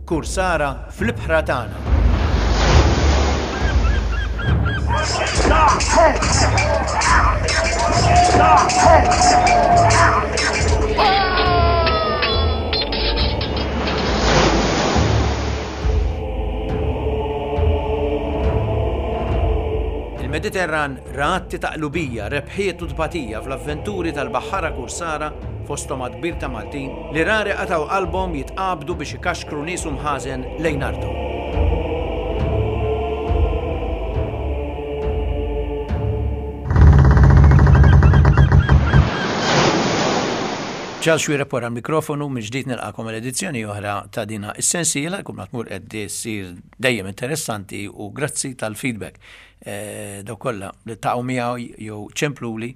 Kursara fl-ibħra tagħna. Il-Mediterran ra atti ta' qlubija, rebħiet u tbatija fl-avventuri tal-baħħara kursara fosthom għadd kbir ta' Maltin li rari qatgħu qalbhom jitqabdu biex ikaxkru nies u mħażen lejn arthom. Charles Xuereb wara l-mikrofonu, mill-ġdid nilqakom għal edizzjoni oħra ta' dina is-sensiela, kull ma tmur qed issir dejjem interessanti u grazzi tal-feedback. Eh, dawk kollha li taqgħu miegħu jew ċempluli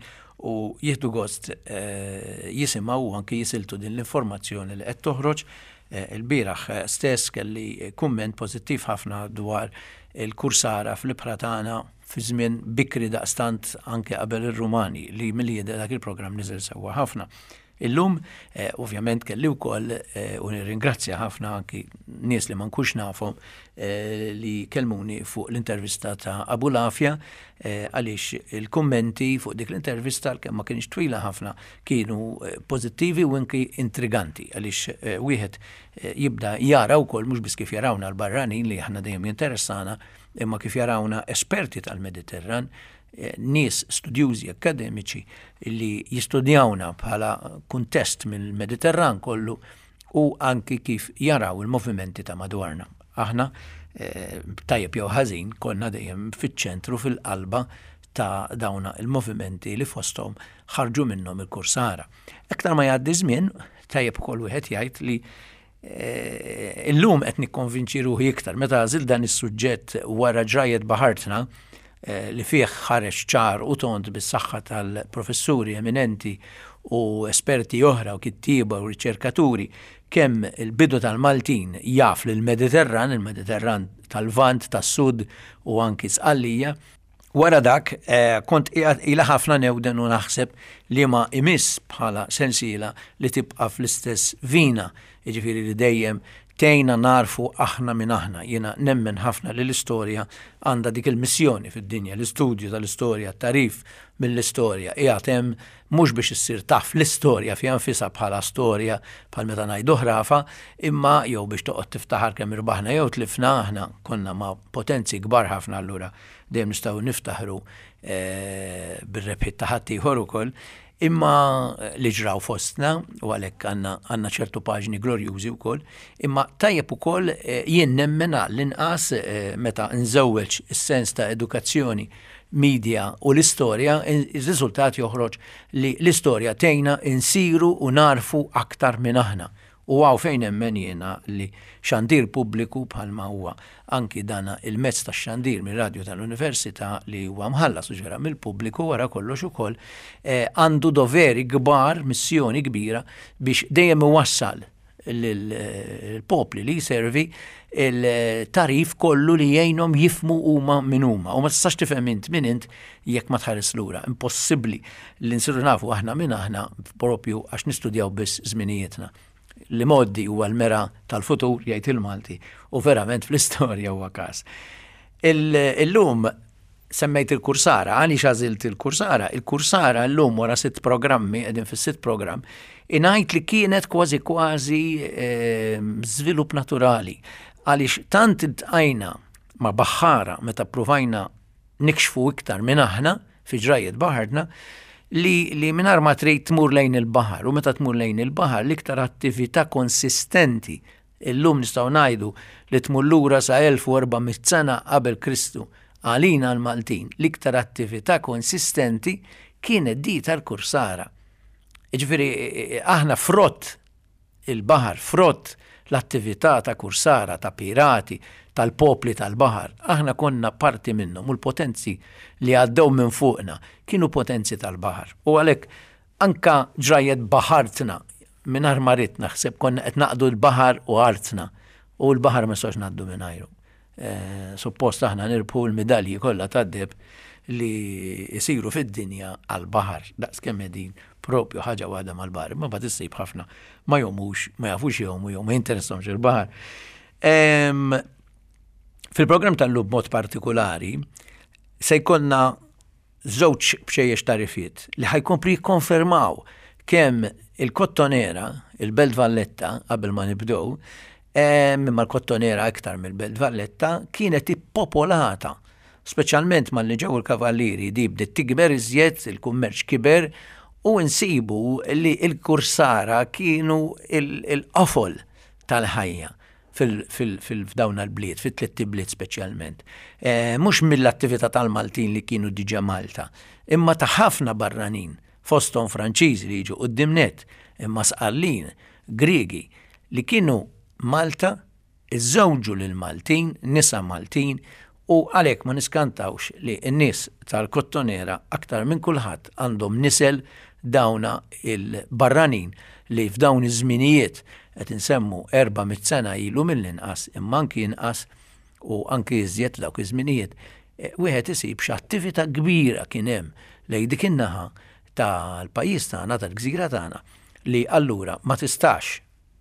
u jieħdu gost eh, jisimgħu u anki jisiltu din l-informazzjoni li qed toħroġ. Eh, il-bieraħ stess kelli kumment pożittiv ħafna dwar il-kursara fl-ibħra tagħna fi żmien bikri daqstant anke qabel ir-Rumani li milli jidher dak il-programm niżel sewwa ħafna. Illum, eh, ovvjament kelli wkoll eh, u nirringrazzja ħafna anki nies li ma nkunx nafhom eh, li kelmuni fuq l-intervista ta' Abu Lafja għaliex il-kummenti fuq dik l-intervista kemm ma kienx twila ħafna kienu pożittivi u anki intriganti għaliex wieħed jibda jara wkoll mhux biss kif jarawna l-barranin li aħna dejjem jinteressana imma kif jarawna esperti tal-Mediterran, eh, nies studjużi akademiċi li jistudjawna bħala kuntest mill-Mediterran kollu u anki kif jaraw il-movimenti ta' madwarna. Aħna eh, tajjeb jew ħażin konna dejjem fiċ-ċentru fil-qalba ta' dawna il-movimenti li fosthom ħarġu minnhom il-kursara. Aktar ma jgħaddi żmien, tajjeb ukoll wieħed jgħid li Eh, illum qed nikkonvinċi ruħi iktar meta għażil dan is-suġġett wara ġrajet baħartna eh, li fih ħareġ ċar u tond bis-saħħa tal-professuri eminenti u esperti oħra u kittieba u riċerkaturi kemm il-bidu tal-Maltin jaf l-Mediterran, il-Mediterran tal-Vant, tas-Sud u anki Sqallija, Wara dak, eh, kont qiegħed ilha ħafna newden u naħseb li ma imiss bħala sensiela li tibqa' fl-istess vina, jiġifieri li dejjem tgħinna narfu aħna min aħna. Jiena nemmen ħafna li l-istorja għandha dik il-missjoni fid-dinja, l-istudju tal-istorja, t-tagħrif mill-istorja qiegħed hemm mhux biex issir taf l-istorja fiha nfisha bħala storja bħal meta ngħidu ħrafa, imma jew biex toqgħod tiftaħar kemm irbaħna jew tlifna, aħna konna ma' potenzi kbar ħafna allura dejjem nistgħu niftaħru eh, bir-rebħiet ta' ħaddieħor ukoll, imma li ġraw fostna u għalhekk għandna ċertu paġni glorjużi wkoll, imma tajjeb ukoll eh, jien nemmen għall-inqas eh, meta nżewweġ is-sens ta' edukazzjoni media u l-istorja, ir-riżultat joħroġ li l-istorja tgħinna insiru u narfu aktar minn aħna. U hawn fejn nemmen jiena li xandir pubbliku bħalma huwa anki dana il-mezz tax-xandir mir-radju tal-Università li huwa mħallas u ġera mill-pubbliku wara kollox ukoll eh, għandu doveri kbar, missjoni kbira biex dejjem iwassal lill-popli li jservi il-tarif kollu li jgħinhom jifmu huma min huma. U ma tistax tifhem int min int jekk ma tħares lura. Impossibbli li nsiru nafu aħna min aħna propju għax nistudjaw biss żminijietna. Li moddi huwa l-mera tal-futur jgħid il-Malti u verament fl-istorja huwa każ. Illum semmejt il-kursara, għaliex għażilt il-kursara? Il-kursara llum wara sitt programmi, qegħdin fis-sitt programm, ingħid li kienet kważi kważi ehm, żvilupp naturali. Għaliex tant iltqajna ma' baħħara meta ppruvajna nikxfu iktar minn aħna fi ġrajiet baħarna, li, li mingħajr ma trid tmur lejn il-baħar u meta tmur lejn il-baħar l-iktar attività konsistenti Illum nistgħu ngħidu li tmur lura sa 1400 sena qabel Kristu. Għalina l-Maltin, l-iktar attività konsistenti kienet di tal-kursara. Jiġifieri aħna frott il-baħar, frott l-attività ta' kursara, ta' pirati, tal-popli tal-baħar. Aħna konna parti minnhom u l-potenzi li għaddew minn fuqna kienu potenzi tal-baħar. U għalhekk Anka ġrajjet baħartna, mingħajr ma ridt naħseb konna qed naqdu l-baħar u artna u l-baħar ma nistgħux ngħaddu mingħajru. Eh, suppost aħna nirbħu l-midalji kollha tad-deb li jsiru fid-dinja għal-baħar, daqs kemm qegħdin propju ħaġa waħda mal-baħar, imma bad issib ħafna ma jomux, ma jafux jomu jew ma jinteressahomx il-baħar. Fil-programm tal-lum mod partikolari se jkollna żewġ bċejjex tarifiet li ħajkompli jikkonfermaw kemm il-Kottonera, il-Belt Valletta, qabel ma nibdew, imma l-Kottonera iktar mill-Belt Valletta, kienet ippopolata speċjalment malli ġew il-kavallieri di bdiet tikber iżjed, il-kummerċ kiber u nsibu li l-kursara kienu il-qofol tal-ħajja f'dawn l-bliet, fit-tlett ibliet speċjalment. Eh, mhux mill-attività tal-Maltin li kienu diġà Malta, imma ta' ħafna barranin, fosthom Franċiżi li jiġu quddiem net, imma Sqallin, Griegi, li kienu Malta iżżewġu lil Maltin, nisa Maltin, u għalhekk ma niskantawx li n-nies tal-Kottonera aktar minn kulħadd għandhom nisel dawna il-barranin li f'dawn iż-żminijiet qed insemmu 400 sena ilu mill-inqas imma anki inqas u anki iżjed dawk iż-żminijiet, eh, wieħed isib x'attività kbira kien hemm lejn dik in-naħa tal-pajjiż tagħna, tal-gżira tagħna, li allura ma tistax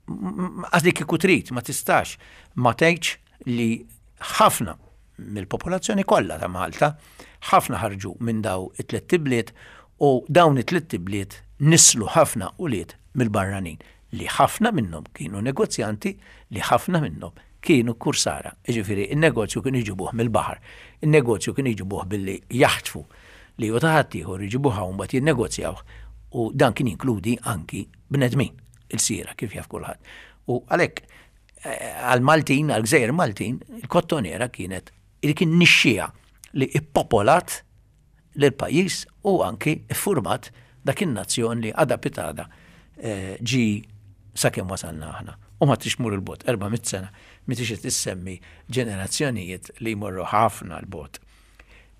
Għax li kieku trid ma tistax ma tgħidx li ħafna mill-popolazzjoni kollha ta' Malta, ħafna ħarġu minn daw it-tliet ibliet u dawn it-tliet ibliet nislu ħafna ulied mill-barranin li ħafna minnhom kienu negozjanti li ħafna minnhom kienu kursara. Jiġifieri n-negozju kienu jġibuh mill-baħar. In-negozju kienu jġibuh billi jaħtfu li hu ta' ħaddieħor iġibuh hawn mbagħad jinnegozjawh u dan kien jinkludi anki bnedmin. il-sira kif jaf kulħadd. U għalhekk eh, għal-Maltin, għal-Gżejjer Maltin, il-kottonera kienet li kien nixxija li ippopolat l-pajjiż u anki iffurmat dak in-nazzjon li għada pitada eh, ġi sakemm wasalna aħna. U ma trix mur il-bot, 400 sena, mi tix tissemmi ġenerazzjonijiet li jmorru ħafna l-bot.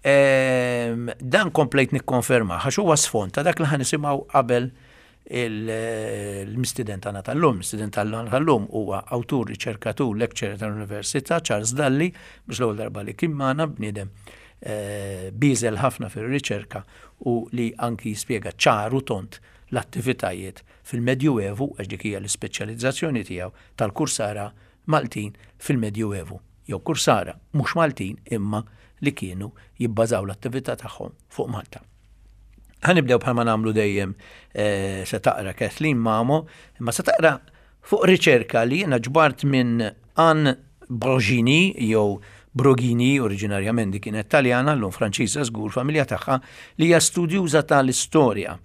Ehm, dan komplejt nikkonferma, għax huwa sfond ta' dak li ħanisimgħu qabel Il-mistiden tagħna tal-lum, mistiden tal-lum huwa awtur, riċerkatur, lecturer tal-Università Charles Dalli, biex l-ewwel darba li kien magħna bniedem eh, biżel ħafna fir-riċerka u li anki jispjega ċar u tont l-attivitajiet fil-Medjuevu, għax dik hija l-ispeċjalizzazzjoni tiegħu tal-kursara Maltin fil-Medjuevu, jew kursara mhux Maltin imma li kienu jibbażaw l-attività tagħhom fuq Malta. Ħanibdew bħalma nagħmlu dejjem eh, se taqra Kathleen Mamo, imma se taqra fuq riċerka li jiena ġbart minn Anne Brogini jew Brogini oriġinarjament di kienet Taljana, llum Franċiża żgur familja tagħha li hija studjuża tal-istorja.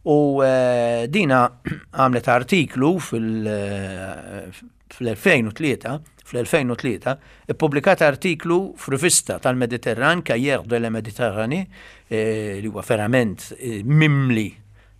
U eh, dina għamlet artiklu fil- eh, Fl-2003, fl-2003, ippubblikat artiklu f'rivista tal-Mediterran, Cahiers de la Méditerranée, eh, li huwa verament eh, mimli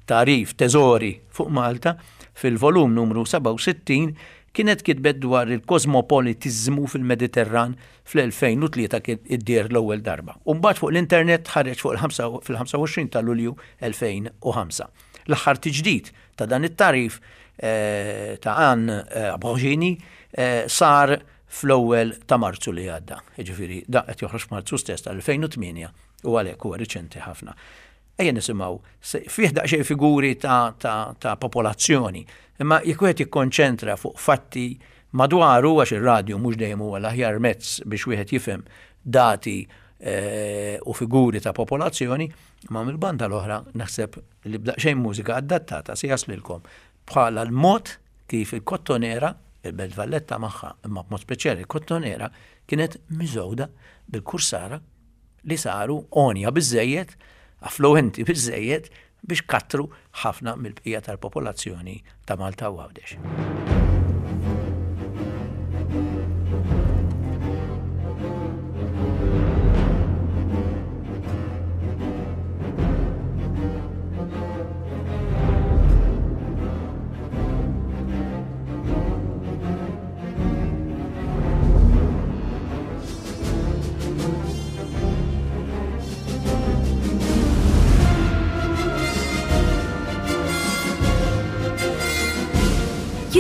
tagħrif, teżori fuq Malta, fil-volum numru 67, kienet kitbet dwar il-kosmopolitiżmu fil-Mediterran fl-2003 kien iddier l-ewwel darba. U mbagħad fuq l-internet ħareġ fuq fil-25 ta' Lulju 2005. L-aħħar tiġdid ta' dan it-tagħrif eh, ta' Ann eh, Abrogini eh, sar fl-ewwel ta' Marzu li għadda. Jiġifieri da qed joħroġ f'Marzu stess tal-2008 u għalhekk huwa riċenti ħafna. Ejja nisimgħu fih daqsxejn figuri ta', ta, ta popolazzjoni, imma jekk wieħed jikkonċentra fuq fatti madwaru għax ir-radju mhux dejjem huwa l-aħjar mezz biex wieħed jifhem dati e, u figuri ta' popolazzjoni, imma mill-banda l-oħra naħseb li b'daqsxejn mużika adattata se jaslilkom bħala l-mod kif il-Kottonera, il-Belt Valletta magħha, imma b'mod speċjali il-Kottonera, kienet miżgħuda bil-kursara li saru għonja biżżejjed, affluwenti biżżejjed biex kattru ħafna mill-bqija tal-popolazzjoni ta' Malta u Għawdex.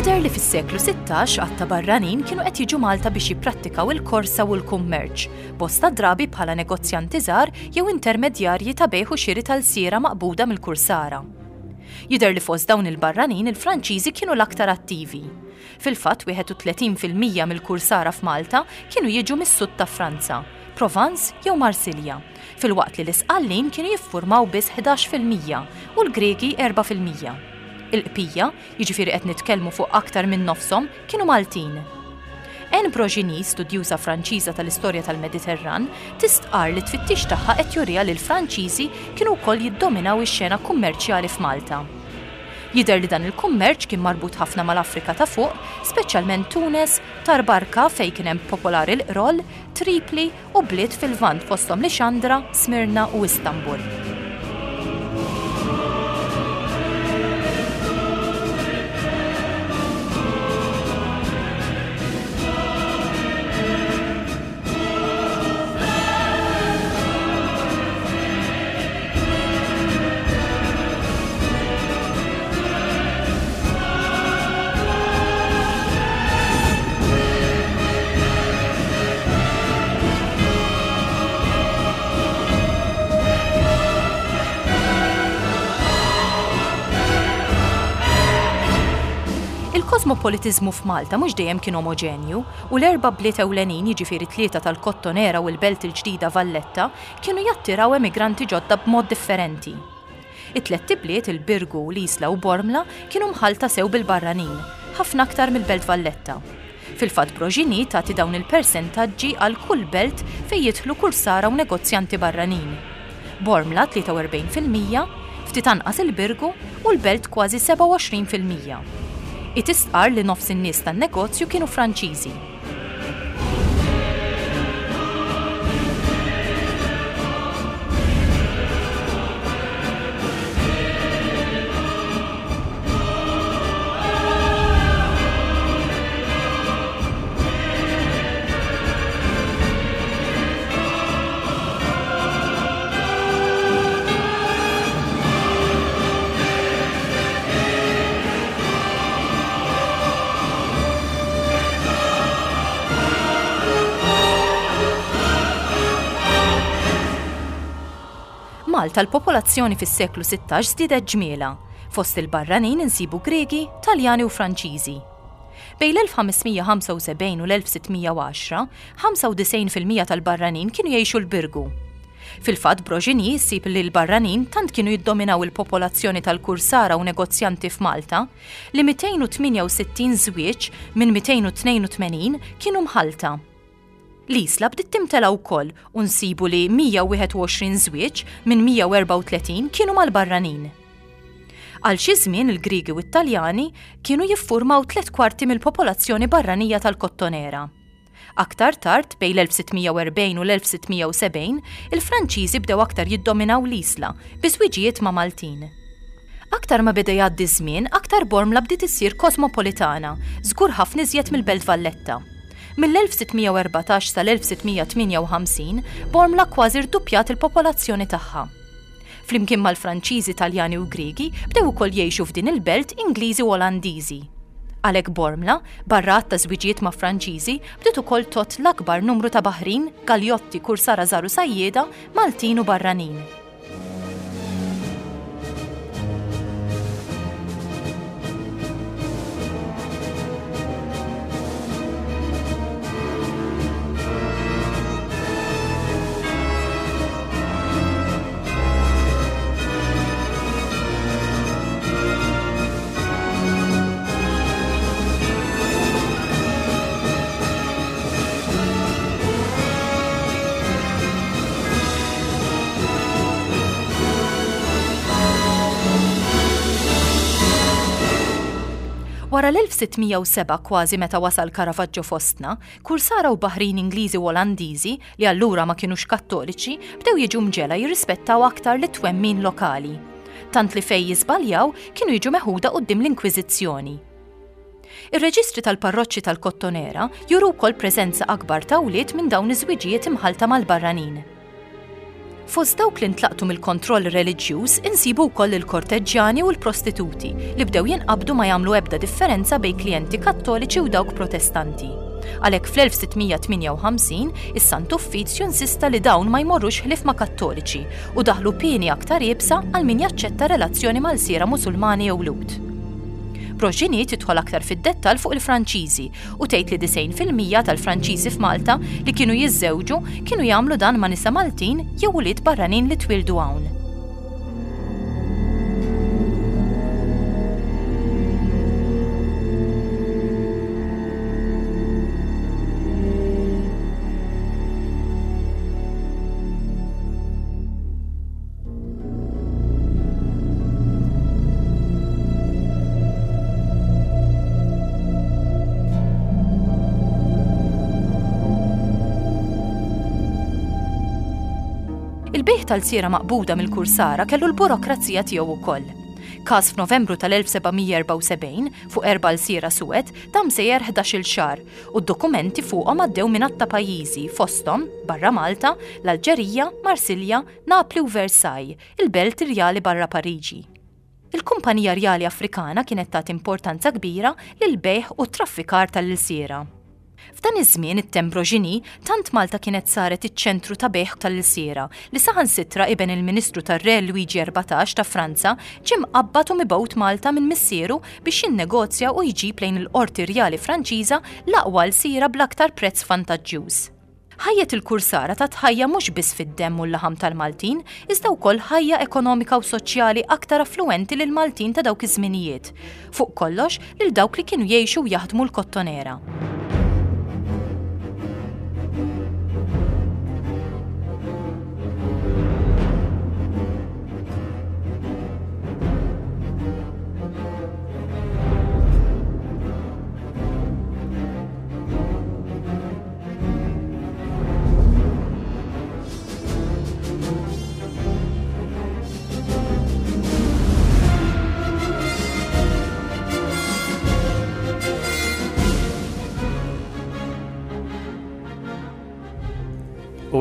Jidher li fis-seklu 16 għadd ta' barranin kienu qed jiġu Malta biex jipprattikaw il-korsa u l-kummerċ, bosta drabi bħala negozjanti żgħar jew intermedjarji ta' bejgħ u xiri ta' lsiera maqbuda mill-kursara. Jidher li fost dawn il-barranin il-Franċiżi kienu l-aktar attivi. Fil-fatt 31% mill-kursara f'Malta kienu jiġu mis-sud ta' Franza, Provence jew Marsilja, filwaqt li l-Isqallin kienu jiffurmaw biss 11% u l-Griegi 4%. Il-qpija, jiġifieri qed nitkellmu fuq aktar minn nofshom, kienu Maltin. Anne Brogini, studjuża Franċiża tal-istorja tal-Mediterran, tistqarr li t-tfittix tagħha qed juriha li l-Franċiżi kienu wkoll jiddominaw ix-xena kummerċjali f'Malta. Jidher li dan il-kummerċ kien marbut ħafna mal-Afrika ta' Fuq, speċjalment Tunes, Tarbarka fejn kien hemm popolari l-qroll, Tripli u bliet fil-Lvant fosthom Lixandra, Smirna u Istanbul. Il-kosmopolitiżmu f'Malta mhux dejjem kien omoġenju u l-erba' bliet ewlenin, jiġifieri tlieta tal-Kottonera u l-belt il-ġdida Valletta, kienu jattiraw emigranti ġodda b'mod differenti. It-tlett ibliet, il-Birgu, l-Isla u Bormla, kienu mħallta sew bil-barranin, ħafna aktar mill-Belt Valletta. Fil-fatt Brogini tagħti dawn il-persentaġġi għal kull belt fejn jidħlu kursara u negozjanti barranin. Bormla 43%, ftit anqas il-Birgu u l-Belt kważi 27%. Hi tistqarr li nofs in-nies tan-negozju kienu Franċiżi. Malta l-popolazzjoni fis-seklu 16 żdiedet ġmielha. Fost il-barranin insibu Griegi, Taljani u Franċiżi. Bejn l-1575 u l-1610, 95% tal-barranin kienu jgħixu l-Birgu. Fil-fatt Brogini ssib li l-barranin tant kienu jiddominaw il-popolazzjoni tal-kursara u negozjanti f'Malta li 268 żwieġ minn 282 kienu mħallta. L-Isla bdiet timtela wkoll u nsibu li 121 żwieġ minn 134 kienu mal-barranin. Għal xi żmien il-Griegi u t-Taljani kienu jiffurmaw tlett kwarti mill-popolazzjoni barranija tal-Kottonera. Aktar tard, bejn l-1640 u l-1670, il-Franċiżi bdew aktar jiddominaw l-Isla bi żwiġijiet ma' Maltin. Aktar ma beda jgħaddi ż-żmien, aktar Bormla bdiet issir kosmopolitana, żgur ħafna iżjed mill-Belt Valletta. Mill-1614 sal-1658, Bormla kważi rduppjat il-popolazzjoni tagħha. Flimkien mal-Franċiżi, Taljani u Griegi, bdew ukoll jgħixu f'din il-belt Ingliżi u Olandiżi. Għalhekk Bormla, barra għadd ta' żwiġijiet ma' Franċiżi, bdiet ukoll tgħodd l-akbar numru ta' baħrin, galjotti, kursara żgħar u sajjieda, Maltin u barranin. Wara l-1607 kważi meta wasal Caravaggio fostna, kursara u baħrin Ingliżi u Olandiżi li allura ma kinux Kattoliċi, bdew jiġu mġegħla jirrispettaw aktar lit-twemmin lokali. Tant li fejn jiżbaljaw kienu jiġu meħuda quddiem l-Inkwiżizzjoni. Ir-reġistri tal-parroċċi tal-Kottonera juru wkoll preżenza akbar ta' wlied minn dawn iż-żwiġijiet imħallta mal-barranin. Fost dawk li ntlaqtu mill-kontroll reliġjuż insibu wkoll il-korteġġjani u l-prostituti li bdew jinqabdu ma jagħmlu ebda differenza bejn klijenti Kattoliċi u dawk Protestanti. Għalhekk fl-1658 is-Sant Uffizju insista li dawn ma jmorrux ħlief ma' Kattoliċi u daħlu pieni aktar iebsa għal min jaċċetta relazzjoni ma' lsiera Musulmani jew Lhud. Brogini tidħol aktar fid-dettall fuq il-Franċiżi u tgħid li 90% tal-Franċiżi f'Malta li kienu jiżżewġu kienu jagħmlu dan ma' nisa Maltin jew ulied barranin li twieldu hawn. Il-bejgħ tal-lsiera maqbuda mill-kursara kellu l-burokrazija tiegħu wkoll. Każ f'Novembru tal-1774 fuq erba' lsiera suwed dam sejjer ħdax-il xahar u d-dokumenti fuqhom għaddew minn għadd ta' pajjiżi fosthom, barra Malta, l-Alġerija, Marsilja, Napli u Versailles, il-belt irjali barra Pariġi. Il-Kumpanija Rjali Afrikana kienet tagħti importanza kbira lill-bejgħ u t-traffikar tal-ilsiera. F'dan iż-żmien it-Tembrogini, tant Malta kienet saret iċ-ċentru ta' bejgħ tal-ilsiera li saħansitra iben il-Ministru tar-Re Lwiġi 14 ta' Franza ġie mqabbad u mibgħut Malta minn missieru biex jinnegozja u jġib lejn il-Qorti Rjali Franċiża l-aqwa lsiera bl-aktar prezz vantaġġjuż. Ħajjet il-kursara tat ħajja mhux biss fid-demm u l-laħam tal-Maltin, iżda wkoll ħajja ekonomika u soċjali aktar affluwenti lill-Maltin ta' dawk iż-żminijiet, fuq kollox lil dawk li kienu jgħixu u jaħdmu l-kottonera.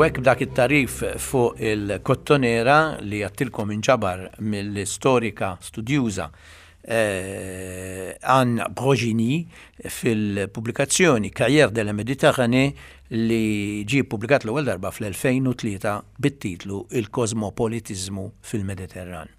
U hekk b'dak it-tagħrif fuq il-kottonera li għattilkom inġabar mill-istorika studjuża eh, Anne Brogini fil-pubblikazzjoni Cahiers de la Méditerranée li ġie ppubblikat l-ewwel darba fl-2003 bit-titlu Il-Kosmopolitiżmu fil-Mediterran.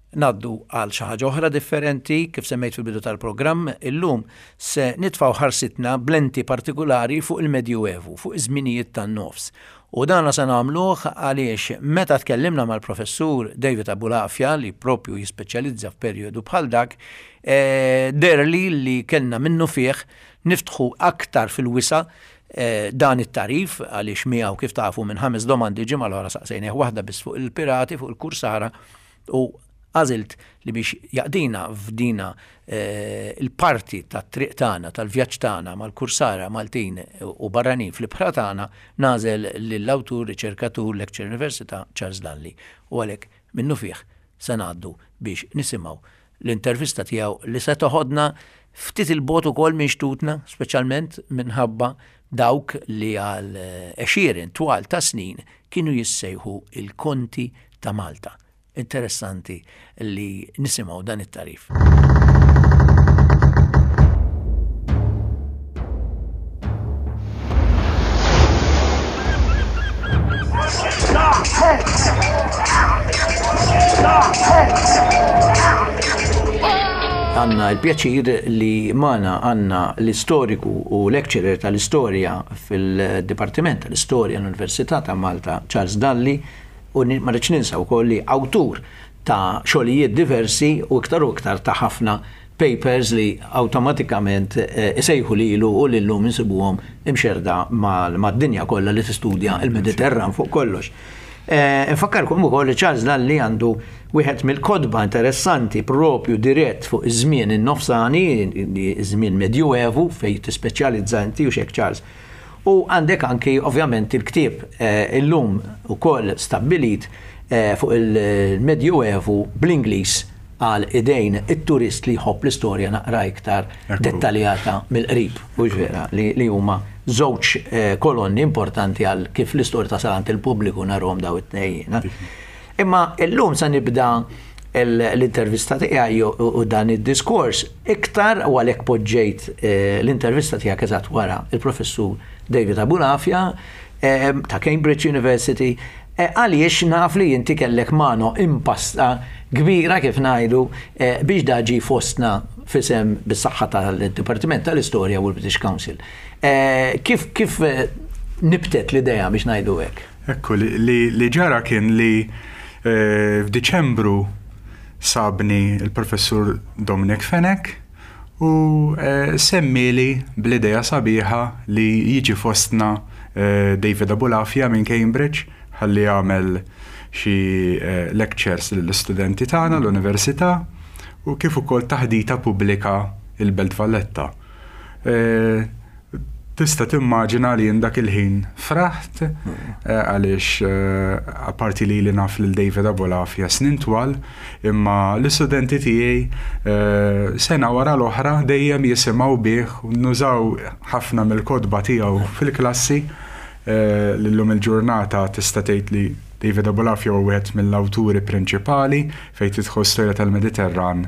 Ngħaddu għal xi ħaġa oħra differenti, kif semmejt fil-bidu tal-programm, illum se nitfgħu ħarsitna b'lenti partikulari fuq il-Medjuevu, fuq iż-żminijiet tan-nofs. U dana se nagħmluh għaliex meta tkellimna mal-Professur David Abulafia li propju jispeċjalizza f'perjodu bħal dak, eh, deherli li kellna minnufih niftħu aktar fil-wisa' eh, dan it-tagħrif għaliex miegħu kif tafu minn ħames domandi ġimgħa l-oħra saqsejnieh waħda biss fuq il-pirati, fuq il-kursara u għażilt li biex jaqdina f'dina eh, il-parti tat-triq tagħna, tal-vjaġġ tagħna mal-kursara Maltin u barranin fl-ibħra tagħna, nagħżel lill-awtur, riċerkatur, lecturer Università Charles Dalli. U għalhekk minnufih se ngħaddu biex nisimgħu l-intervista tiegħu li se toħodna ftit il-bogħod ukoll minn xtutna, speċjalment minħabba dawk li għal għexieren twal ta' snin kienu jissejħu il-Konti ta' Malta. Interessanti li nisimgħu dan it-tagħrif. Għanna l-pjaċir li magħna għandna l-istoriku u lecturer tal-istorja fil-Dipartiment tal-Istorja l-Università ta' Malta, Charles Dalli, u ma rridx ninsa wkoll li awtur ta' xogħlijiet diversi u iktar u iktar ta' ħafna papers li awtomatikament isejħu lilu u li llum insibuhom imxerrda mad-dinja kollha li tistudja l-Mediterran fuq kollox. Infakkarkom ukoll li Charles Lalli għandu wieħed mill-kotba interessanti propju dirett fuq iż-żmien in-nofsani, iż-żmien Medjuevu fejn tispeċjalizza inti u xek Charles. U għandek anki ovvjament il-ktieb illum ukoll stabbilit fuq il-Medjuevu bl-Ingliż għal idejn it-turist li jħobb l-istorja naqra iktar dettaljata mill-qrib, hux vera, li huma żewġ eh, kolonni importanti għal kif l-istorja tasal għand il-pubbliku narhom daw it-tnejn. Imma illum se nibda l-intervista tiegħi u dan id-diskors iktar u għalhekk poġġejt eh, l-intervista tiegħek eżatt wara il-professur David Abulafia eh, ta' Cambridge University eh, għaliex naf li inti kellek mano impasta kbira kif ngħidu biex daġi fostna fisem bis-saħħa tal-Dipartiment tal-Istorja u l-British Council. Kif kif nibtet l-idea biex ngħidu hekk? Ekku, li ġara kien li f'Diċembru sabni l-Professur Dominic Fenech u semmieli bl-idea sabiħa li jiġi fostna David Abulafia minn Cambridge ħalli jagħmel xi lectures lill-istudenti tagħna l-università u kif ukoll taħdita pubblika il-Belt Valletta. Tista' timmaġina li jien dak il-ħin fraħt għaliex apparti li ili naf lil David Abolafia snin twal, imma l-istudenti tiegħi sena wara l-oħra dejjem jisimgħu bih u nużaw ħafna mill-kotba tiegħu fil-klassi li llum il-ġurnata tista' tgħid li David Abolafia huwa wieħed mill-awturi prinċipali fejn tidħol storja tal-Mediterran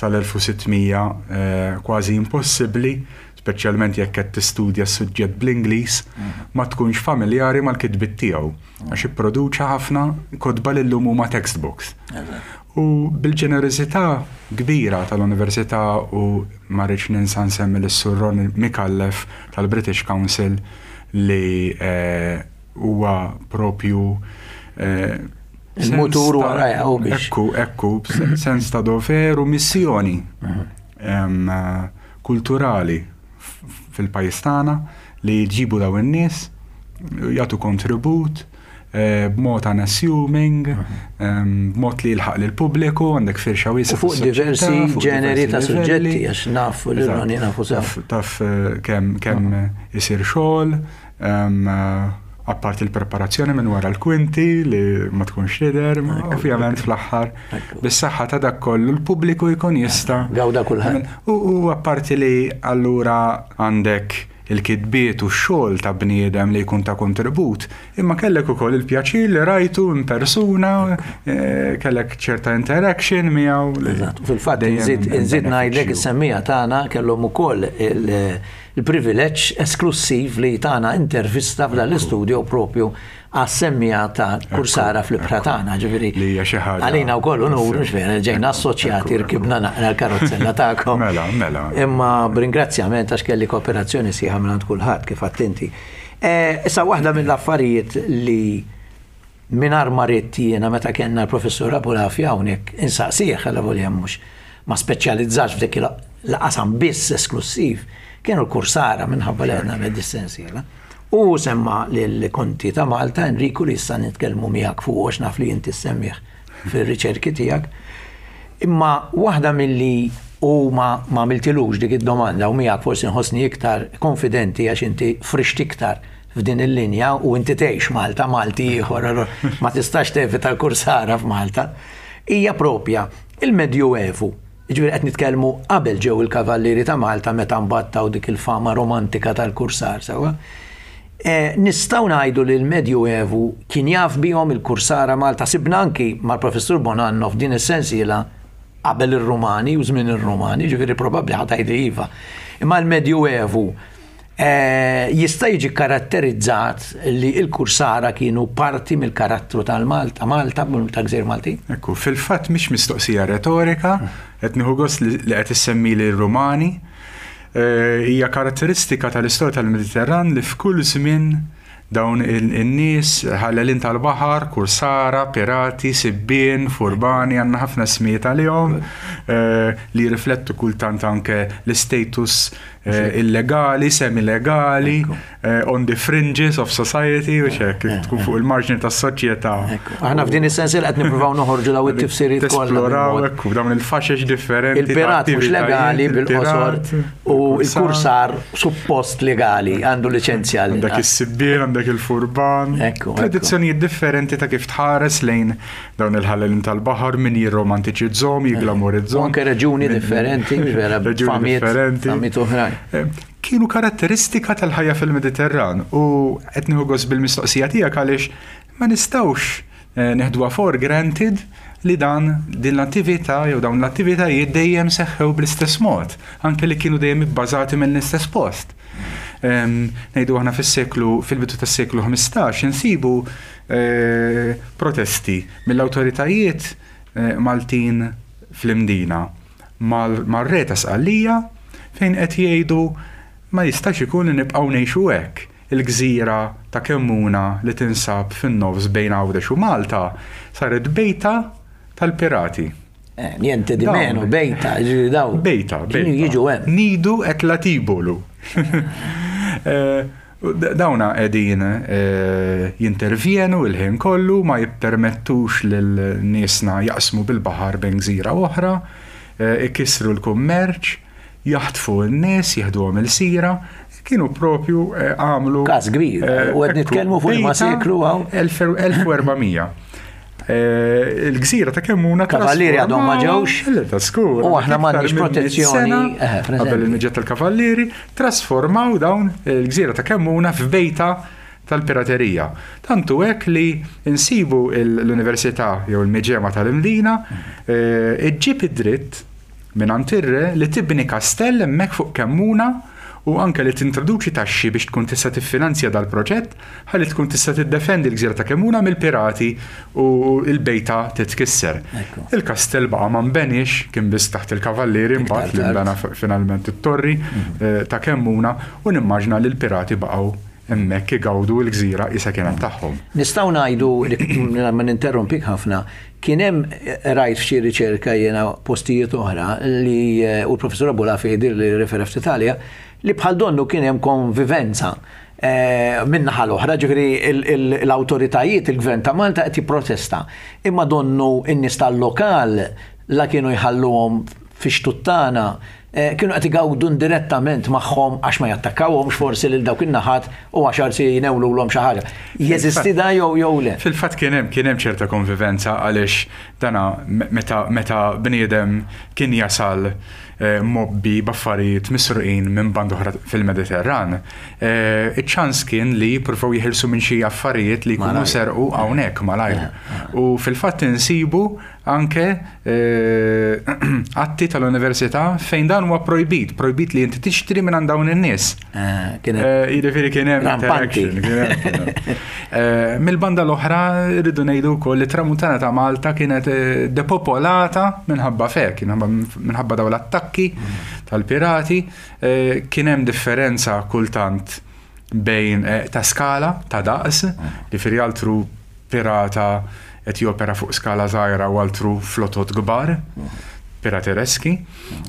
sal-1600 kważi impossibbli speċjalment jekk qed tistudja s-suġġett bl-Ingliż, ma tkunx familjari mal-kitbiet tiegħu, għax ipproduċa ħafna kotba li llum huma textbooks. U bil-ġenerożità kbira tal-Università u ma rridx ninsa nsemmi lis-Sur Ronnie Micallef tal-British Council li huwa propju il-mutur warajha u biex. Ekku, ekku, sens ta' dover u missjoni. Kulturali fil-pajjiż tagħna li jġibu dawn in-nies, jagħtu kontribut b'mod unassuming, b'mod li jilħaq lill-pubbliku, għandek firxa wiesgħa. Fuq diversi ġeneri ta' suġġetti, għax nafu li Ronnie nafu sew. Taf kemm isir xogħol, apparti l-preparazzjoni minn wara l-kwinti li ma tkunx tidher, ovvjament fl-aħħar bis-saħħa ta' dak kollu l-pubbliku jkun jista'. Gawda kulħadd. U apparti li allura għandek il-kitbiet u x-xogħol ta' bniedem li jkun ta' kontribut, imma kellek ukoll il-pjaċir li rajtu in persuna, eh, kellek ċerta interaction miegħu. Eżatt, fil-fatt inżid ngħidlek is-semmija tagħna kellhom ukoll il- il-privileġġ esklussiv li tana intervista f'dan l-istudio propju għas-semmiegħa ta' Kursara fl-ibħra tagħna, ġifieri. Li hija xi ħaġa. Għalina wkoll unur, mhux vera, ġejna assoċjati rkibna naqra l-karozzella tagħkom. Mela, mela. Imma b'ringrazzjament għax kelli kooperazzjoni sieħa minn kulħadd kif attenti. Eh, issa waħda mill-affarijiet li Mingħajr ma ridt jiena meta kellna l-Professur Abulafia hawnhekk insaqsih allavolja mhux ma speċjalizzax f'dik il-qasam biss esklussiv, kienu l-kursara minħabba li qed nagħmel dis-sensiela. U hu semma lill-Konti ta' Malta Enriku li issa nitkellmu miegħek fuqu għax naf li inti ssemmih fir-riċerki tiegħek. Imma waħda milli u ma għamiltilux dik id-domanda u miegħek forsi nħossni iktar konfidenti għax inti frixt iktar f'din il-linja u inti tgħix Malta, Malti ieħor, allura ma tistax tevita l-kursara f'Malta, hija propja il-Medjuevu. Jiġifieri qed nitkellmu qabel ġew il-Kavallieri ta' Malta meta mbagħad taw dik il-fama romantika tal-kursar sewwa. E, nistgħu ngħidu li l-Medjuevu kien jaf bihom il-kursara Malta sibna anki mal-Professur Bonanno f'din is-sensiela qabel ir-Rumani u żmien ir-Rumani, ġifieri probabbli ħa tgħidli iva. Imma l-Medjuevu Jista' jiġi karatterizzat li l-kursara kienu parti mill-karattru tal-Malta, Malta, ta' gżejjer Maltin? Ekku, fil-fatt mhix mistoqsija retorika, qed nieħu gost li qed issemmili r-Rumani. Hija karatteristika tal-istorja tal-Mediterran li f'kull żmien dawn in-nies ħallelin tal-baħar, kursara, pirati, sibbien, furbani, għandna ħafna ismijiet għalihom li jirriflettu kultant anke l-istatus Eh, illegali, semi-legali, eh, on the fringes of society, u xek, eh, tkun fuq il-marġni tas soċjetà. Aħna f'din is-sens li qed nippruvaw noħorġu daw it-tifsiriet kollha. Esploraw ekku dawn il-faxex differenti. Il-pirat mhux legali bil-qosor u l-kursar suppost legali għandu liċenzja. Għandek is-sibbien, għandek il-furban. Tradizzjonijiet differenti ta' kif tħares lejn Dawn il-ħallelin tal-baħar min jirromantiċizzhom, jiglamorizzhom. Anke reġuni differenti, vera, reġuni differenti. Famiet oħrajn. Eh, kienu karatteristika tal-ħajja fil-Mediterran u qed nieħu gost bil-mistoqsija tiegħek għaliex ma nistgħux eh, neħduha for granted. li dan din l-attività jew dawn l-attivitajiet dejjem seħħew bl-istess mod, anke li kienu dejjem ibbażati mill-istess post. Ngħidu aħna fis-seklu fil-bidu tas-seklu 15 insibu eh, protesti mill-awtoritajiet eh, Maltin fl-Imdina mar-re ta' Sqallija fejn qed jgħidu ma jistax ikun li nibqgħu ngħixu hekk. Il-gżira ta' Kemmuna li tinsab fin-nofs bejn Għawdex u Malta saret bejta tal-pirati. Eh, niente di meno, bejta, ġifieri daw. Bejta, bejta. Jiġu hemm. Nidu et latibolu. Eh, dawna qegħdin eh, jintervjenu il-ħin kollu ma jippermettux lil niesna jaqsmu bil-baħar bejn gżira oħra, ikissru l-kummerċ, jaħtfu n-nies, jieħduhom il-sira, kienu propju eh, għamlu. Każ kbir, eh, u qed nitkellmu fuq ma seklu għaw. 1400. Eh, il-gżira ta' Kemmuna. Kavallieri għadhom ma ġewx. Ta' skur. U aħna m'għandniex protezzjoni. Qabel il-miġġet tal-kavallieri, trasformaw dawn il-gżira ta' Kemmuna f'bejta tal-piraterija. Tantu hekk li nsibu l-Università jew il-Miġema tal-Imdina iġġib id-dritt mingħand ir-re li tibni kastell hemmhekk fuq Kemmuna u anke li tintroduċi taxxi biex tkun tista' tiffinanzja dal-proġett ħalli tkun tista' tiddefendi l-gżira ta' Kemmuna mill-pirati u l-bejta titkisser. Il-kastell baqa' ma nbeniex, kien biss taħt il-kavallieri mbagħad li nbena finalment it-torri eh, ta' Kemmuna u nimmaġna li l-pirati baqgħu hemmhekk igawdu l-gżira qisha kienet tagħhom. Nistgħu ngħidu, mingħajr ma ninterrompik ħafna, kien hemm rajt f'xi riċerka jiena postijiet oħra li u l-Professur Abulafi jidhirli rrefera ftit għaliha, li bħal donnu kien hemm konvivenza min-naħa l-oħra, ġifieri l-awtoritajiet, il-Gvern ta' Malta qed jipprotesta. Imma donnu n-nies tal-lokal la kienu jħalluhom fix-xtut tagħna kienu qed igawdu indirettament magħhom għax ma jattakkawhomx forsi lil dawk in-naħat u għax arsi jnewlulhom xi ħaġa. Jeżisti da jew jew le? Fil-fatt kien hemm kien hemm ċerta konvivenza għaliex dana meta meta bniedem kien jasal eh, mobbi b'affarijiet misruqin minn band oħra fil-Mediterran, eh, iċ-ċans kien li jippruvaw jeħilsu minn xi affarijiet li jkunu serqu hawnhekk malajr. U fil-fatt insibu anke atti tal-università fejn dan huwa projbit, projbit li inti tixtri minn dawn in-nies. Eh, jiġifieri kien hemm interaction. Mill-banda l-oħra rridu ngħidu wkoll li tramuntana ta' Malta kienet depopolata minħabba fek, minħabba dawn l-attakki tal-pirati, kien hemm differenza kultant bejn ta' skala, ta' daqs, jiġifieri altru pirata qed jopera fuq skala żgħira u altru flotot kbar, piratereski,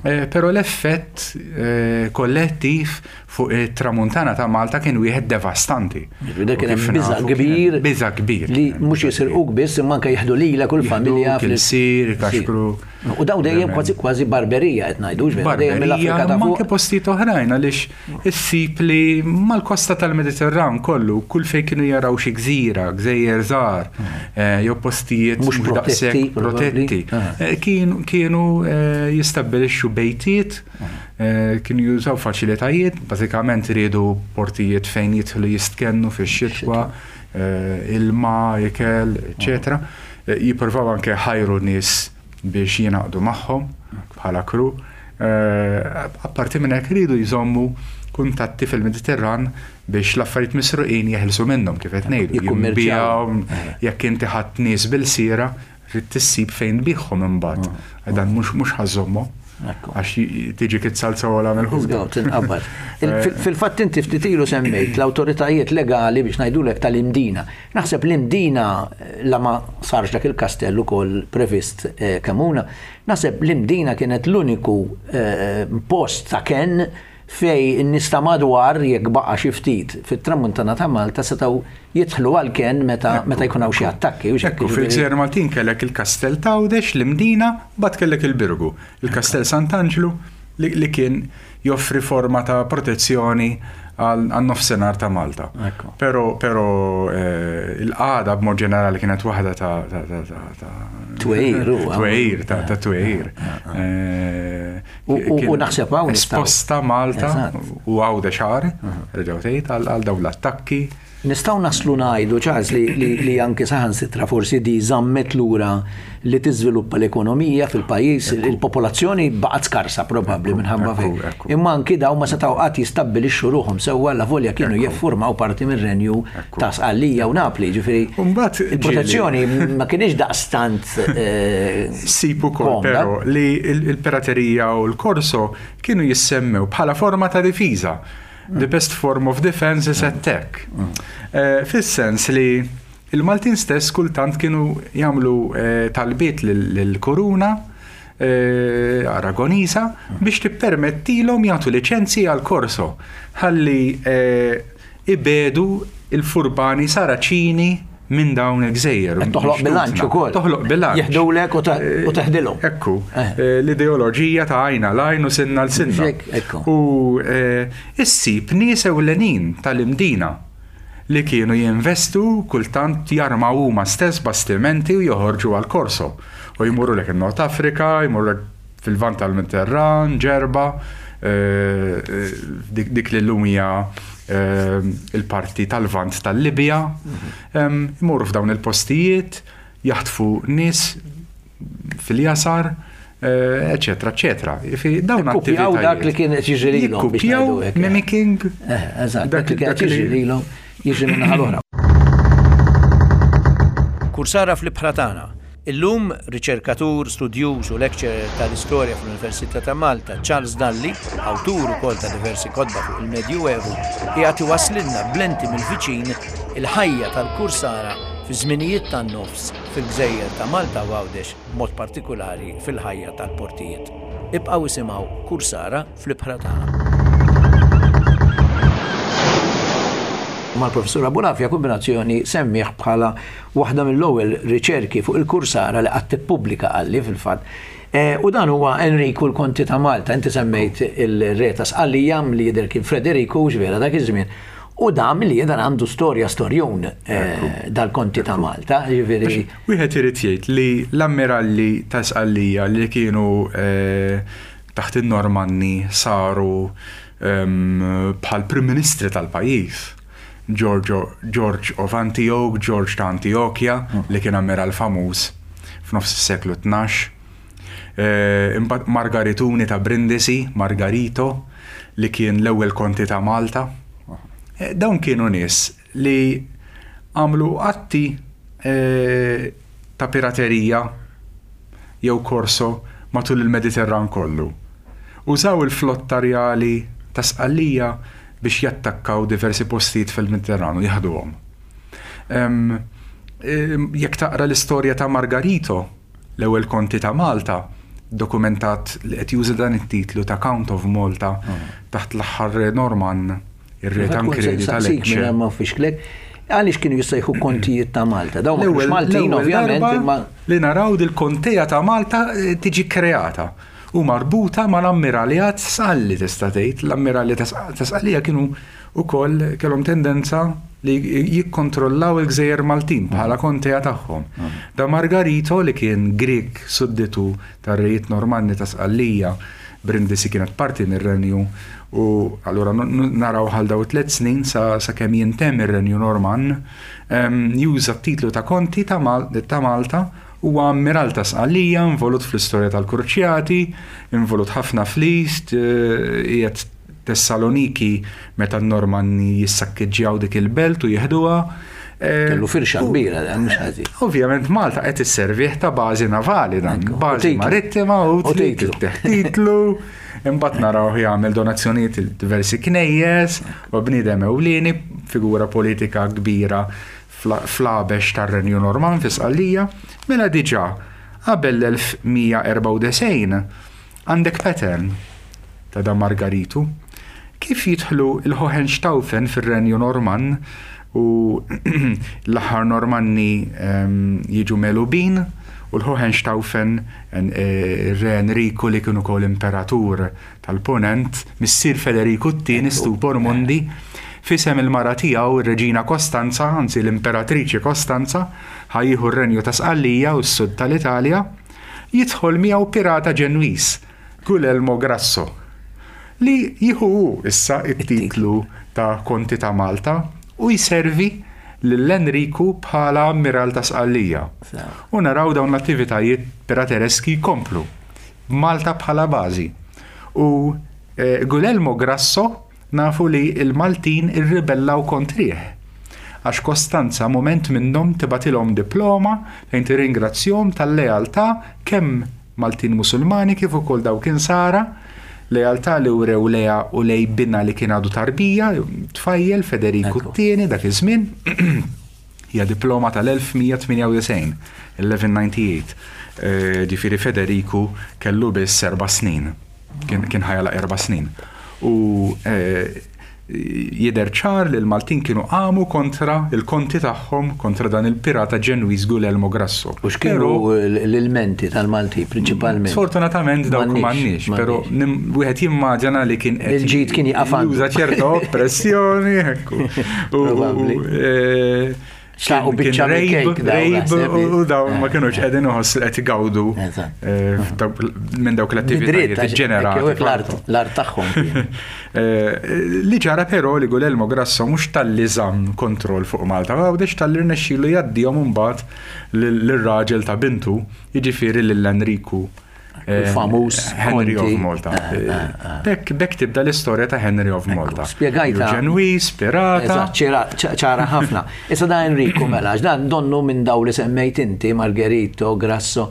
eh, però l-effett eh, kollettiv fuq it-tramuntana ta' Malta kien wieħed devastanti. Dak kien hemm biża' kbir. Biża' kbir. Li mhux jisirquk biss imma anke jieħdu lilek u l-familja fil-sir, kaxkru. U daw dejjem kważi kważi barberija qed ngħidu, dejjem mill-Afrika ta' fuq. Anke postijiet oħrajn għaliex Issib li mal-kosta tal-Mediterran kollu, kull fejn kienu jaraw xi gżira, gżejjer żgħar, eh, jew postijiet mhux daqshekk protetti, ah. eh, kienu eh, jistabbilixxu bejtiet, kienu jużaw faċilitajiet, bażikament riedu portijiet fejn jidħlu jistkennu fix-xitwa, ilma, ikel, eċetera. Jippruvaw anke ħajru nies biex jingħaqdu magħhom bħala crew. Apparti minn hekk iridu jżommu kuntatti fil-Mediterran biex l-affarijiet misruqin jeħilsu minnhom kif qed ngħidu. Jikkummerċjaw. Jekk inti ħadd nies bil-sira, trid tissib fejn tbigħhom imbagħad. Mm. Dan mhux mhux ħażommu. Għax tiġi kitsalza ola mill-ħut. Tinqabad. Fil-fatt inti ftit ilu semmejt l-awtoritajiet legali biex ngħidulek tal-Imdina. Naħseb l-Imdina la ma sarx dak il-kastell ukoll previst eh, Kemuna, naħseb l-Imdina kienet l-uniku eh, post ta' kenn fej in-nies ta' madwar jekk baqa' xi ftit fit-tramuntana ta' Malta setgħu jidħlu għal kenn meta meta jkun hawn xi attakki. Ekku, fil-Gżejjer Maltin kellek il-Kastell t'Għawdex, l-Imdina, mbagħad kellek il-Birgu, il-Kastell Sant'Anġlu li kien joffri forma ta' protezzjoni għan-nofsinhar ta' Malta. Però però eh, il-qagħda b'mod ġenerali kienet waħda ta' twejr, twejr, ta' twejr. Eh, u naħseb hawn esposta Malta u Għawdex xahar, reġgħu tgħid għal dawn l-attakki. Nistgħu naslu ngħidu, Charles, li, li, li anki saħansitra forsi di żammet lura li tiżviluppa l-ekonomija fil-pajjiż, il-popolazzjoni baqgħet skarsa probabbli minħabba fik. Imma anki daw ma setgħu qatt jistabbilixxu ruħhom sewwa la volja kienu jiffurmaw parti mir-renju ta' Sqallija u Napli, ġifieri il-protezzjoni ma kienx daqstant eh, Sib ukoll però li l-piraterija u l-korso kienu jissemmew bħala forma ta' difiża. The best form of defense is attack. Eh, fis-sens li il-Maltin stess kultant kienu jagħmlu eh, talbiet lill-kuruna eh, Aragonisa biex tippermettilhom jagħtu liċenzji għal korso ħalli ibedu il-furbani Saraċini minn dawn il-gżejjer. Qed toħloq bilanċ ukoll. Toħloq bilanċ. Jeħdulek u teħdilhom. Ekku. Eh. Eh, l-ideoloġija ta' għajna l-għajn u sinna l-sinna. U eh, issib nies ewlenin tal-imdina li kienu jinvestu kultant jarmaw huma stess bastimenti u joħorġu għal korso. U jmurru lek in-Nord Afrika, jmurru lek fil-Lvant tal-Mediterran, Ġerba, dik li llum hija il-parti tal-Lvant tal-Libja, imorru f'dawn il-postijiet, jaħtfu nies fil-jasar, eċetera, eċetera. Dawn attivitajiet. dak li kien qed jiġri lilhom. Jikkupjaw mimicking. Eżatt, dak li kien qed jiġri lilhom jiġri minn naħa l-oħra. Kursara fl-ibħra tagħna. Illum, riċerkatur, studjuż u lecturer tal-Istorja fl-Università ta' Malta, Charles Dalli, awtur ukoll ta' diversi kotba fuq il-Medjuevu, qiegħed iwasslilna b'lenti mill-viċin il-ħajja tal-kursara fiż-żminijiet tan-nofs fil-gżejjer ta' Malta u Għawdex, b'mod partikulari fil-ħajja tal-portijiet. Ibqgħu isimgħu Kursara fl-ibħra tagħna. Mal-Professur Abulafia Kumbinazzjoni semmih bħala waħda mill-ewwel riċerki fuq il-kursara li qatt ippubblika qalli fil-fatt. Eh, u dan huwa Enriku l-Konti ta' Malta, inti semmejt il-re ta' Sqallija li jidher kien Frederiku vera dak iż-żmien. U dan li jidher għandu storja storjun eh, dal-Konti ta' Malta, jiġifieri. Wieħed irid jgħid li l-ammiralli ta' Sqallija li kienu eh, taħt in-Normanni saru ehm, bħal Prim Ministri tal-pajjiż. George of Antioch, George ta' Antiochia, li kien ammiral famuż f'nofs is-seklu 12. Eh, imbagħad Margarituni ta' Brindisi, Margarito, li kien l-ewwel konti ta' Malta. Eh, dawn kienu nies li għamlu atti eh, ta' piraterija jew korso matul il-Mediterran kollu. Użaw il-flotta rjali ta' Sqallija biex jattakkaw diversi postijiet fil-Mediterran u jaħduhom. Jekk taqra l-istorja ta' Margarito, l-ewwel konti ta' Malta, dokumentat li qed juża dan it-titlu ta' Count of Malta taħt l-aħħar re Normann, ir-re Tancredi ta' Lecce. Ma fixklek, għaliex kienu jissejħu kontijiet ta' Malta? Dawn ma Maltin ovvjament imma li naraw dil-kontea ta' Malta eh, tiġi kreata u marbuta mal-ammiraljat Sqalli tista' tgħid. L-ammiralji ta' Sqallija kienu wkoll kellhom tendenza li jikkontrollaw il-gżejjer Maltin bħala kontea tagħhom. Da Margarito li kien Grieg sudditu tar-rejiet Normanni ta' Sqallija, Brindisi kienet parti mir-renju u allura naraw għal daw it-tliet snin sakemm jintemm ir-renju Normann, juża t-titlu ta' konti ta' Malta Huwa ammiral ta' Sqallija, involut fl-istorja tal-Kruċjati, involut ħafna fl-East, qiegħed Tessaloniki meta n-Normanni jissakkeġġjaw dik il-belt u jieħduha. Kellu firxa kbira dan, mhux ħażin. Ovvjament Malta qed isservih ta' bażi navali dan, bażi marittima u titlu. Titlu, imbagħad narawh jagħmel donazzjonijiet lil diversi knejjes, u bniedem ewlieni, figura politika kbira fl-għabex tar-Renju Normann fi Sqallija, mela diġà qabel l-1194 għandek pattern ta' da Margaritu. Kif jidħlu l-Hohenstaufen fir-Renju Normann u l-aħħar Normanni ehm, jiġu megħlubin u l-Hohenstaufen eh, ir-Re Enriku li kien ukoll imperatur tal-Punent, missier Federiku t-Tieni Stupor Mundi, f'isem il-mara tiegħu r-Reġina Kostanza, anzi l-Imperatriċi Kostanza, ħa jieħu r-Renju ta' Sqallija u s-sud tal-Italja, jidħol miegħu pirata Ġenwiż, Gulelmo Grasso, li jieħu hu issa t-titlu ta' Konti ta' Malta. u jservi lil Enriku bħala ammiral ta' Sqallija. U naraw dawn l-attivitajiet piratereski jkomplu, b'Malta bħala bażi. U eh, Guglielmo Grasso nafu li l-Maltin irribellaw kontrih. Għax Kostanza mument minnhom tibgħatilhom diploma fejn tirringrazzjahom tal-lealtà kemm Maltin Musulmani kif ukoll dawk Insara, lealtà li wrew lejha u lej binha li kien għadu tarbija, tfajjel Federiku t-Tieni dak iż-żmien. Hija diploma tal-1198, 1198. Eh, ġifieri Federiku kellu biss erba' snin. Kien ħajala erba' snin. U eh, jidher ċar li l-Maltin kienu qamu kontra il-konti tagħhom kontra dan il-pirata Ġenwiż Guglielmo Grasso. U x'kienu l-ilmenti tal-Malti prinċipalment? Sfortunatament dawk m'għandniex, però wieħed jimmaġina li kien qed Il-ġid kien jaqaf Juża ċerta oppressjoni, ekku. Probabbli. Eh, Xtaqu biċċa rejb u dawn ma kienux qegħdin uħoss li qed igawdu eh, minn dawk l-attivitajiet ġenerali. L-art tagħhom. Eh, li ġara però li Guglielmo Grasso mhux talli żamm kontroll fuq Malta, għawdex talli rnexxielu jgħaddihom imbagħad lir-raġel ta' bintu, jiġifieri lil Enriku Il-famuż Henry of Malta. Eh, eh, eh. Bekk bekk tibda l-istorja ta' Henry of Malta. Spjegajta. Ġenwiż, pirata. Ċara ħafna. Issa da Enrico mela, dan donnu minn daw li semmejt inti, Margherito, Grasso.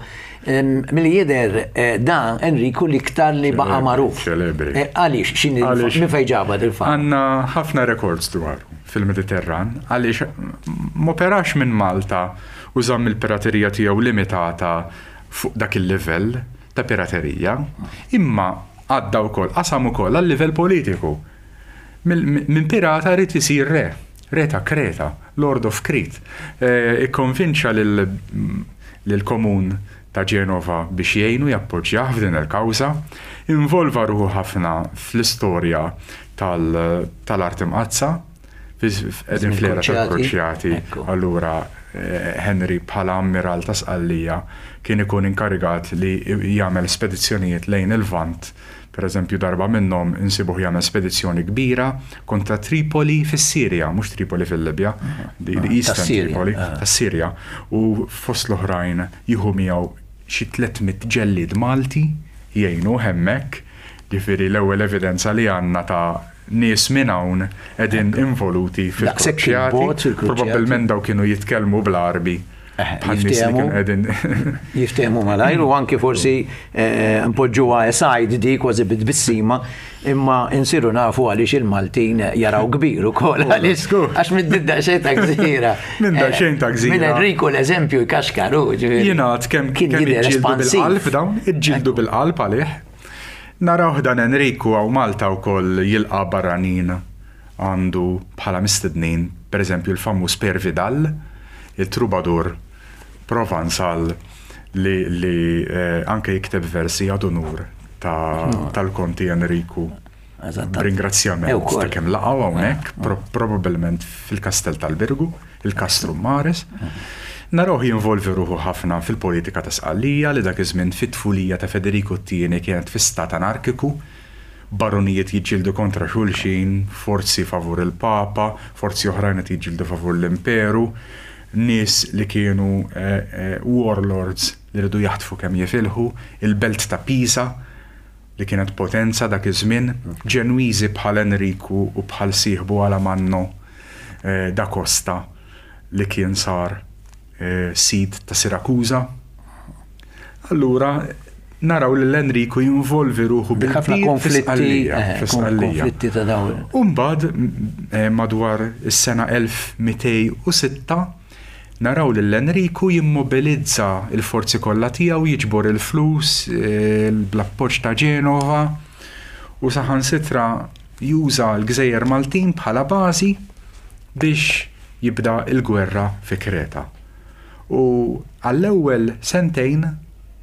Milli jidher da Enrico l-iktar li baqa' magħruf. Ċelebri. Għaliex, x'inhi minn fejn ġabha il-fama? Għandna ħafna rekords dwaru fil-Mediterran, għaliex m'operax minn Malta u żamm il-piraterija tiegħu limitata fuq dak il-livell ta' piraterija, imma għadda wkoll, qasam ukoll għal-livell politiku. Minn pirata ried isir re, re ta' Kreta, Lord of Crete. Eh, ikkonvinċa lill-komun ta' Ġenova biex jgħinu jappoġġjah f'din il-kawża, involva ruħu ħafna fl-istorja tal-Art Imqaddsa, Qegħdin fl-era tal-Kruċjati, allura eh, Henry bħala ammiral ta' Sqallija kien ikun inkarigat li jagħmel spedizzjonijiet lejn il-Lvant. Per eżempju, darba minnhom insibuh jagħmel spedizzjoni kbira kontra Tripoli fis-Sirja, mhux Tripoli fil-Libja, the ah, Eastern Tripoli, ah. tas-Sirja, u fost l-oħrajn jieħu miegħu xi 300 ġellied Malti jgħinu hemmhekk, ġifieri l-ewwel evidenza li għandna ta' nies minn hawn qegħdin involuti fil-kruċjati. Probabbilment daw kienu jitkellmu bl-Għarbi. Bħan-nies li kienu qegħdin. Jiftehmu malajr u anki forsi eh, npoġġuha aside di kważi bit-tbissima imma insiru nafu għaliex il-Maltin jaraw kbir ukoll għaliex għax minn daqsxejn ta' gżira. Minn daqsxejn ta' gżira. Minn Enrico l-eżempju jkaxkaru. Jingħad kemm kien jidher bil-qalb dawn, iġġieldu bil-qalb għalih. Narawh dan Enriku hawn Malta wkoll jilqa' barranin għandu bħala mistednin, pereżempju l-famuż Peire Vidal, il-troubadour Provansal li li anke jikteb versi ad unur tal-Konti Enriku. B'ringrazzjament ta' kemm laqgħu hawnhekk, probabbilment fil-Kastell tal-Birgu, il-Castrum Maris. Narawh jinvolvi ruħu ħafna fil-politika ta' Sqallija li dak iż-żmien fit-tfulija ta' Federiku t-Tieni kienet fi stat anarkiku, barunijiet jiġġieldu kontra xulxin, forzi favur il-Papa, forzi oħrajn qed jiġġieldu favur l-Imperu, nies li kienu warlords li riedu jaħtfu kemm jifilħu, il-belt ta' Pisa li kienet potenza dak iż-żmien, Ġenwiżi bħal Enriku u bħal sieħbu Alamanno da Costa li kien sar sid ta' Sirakuża. Allura naraw lil Enriku jinvolvi ruħu bil-kbir fi Sqallija. U mbagħad madwar is-sena 1206 Naraw lil Enriku jimmobilizza l-forzi kollha tiegħu, jiġbor il-flus bl-appoġġ ta' Ġenova u saħansitra juża l-gżejjer Maltin bħala bażi biex jibda l-gwerra fi Kreta. U għall-ewwel sentejn,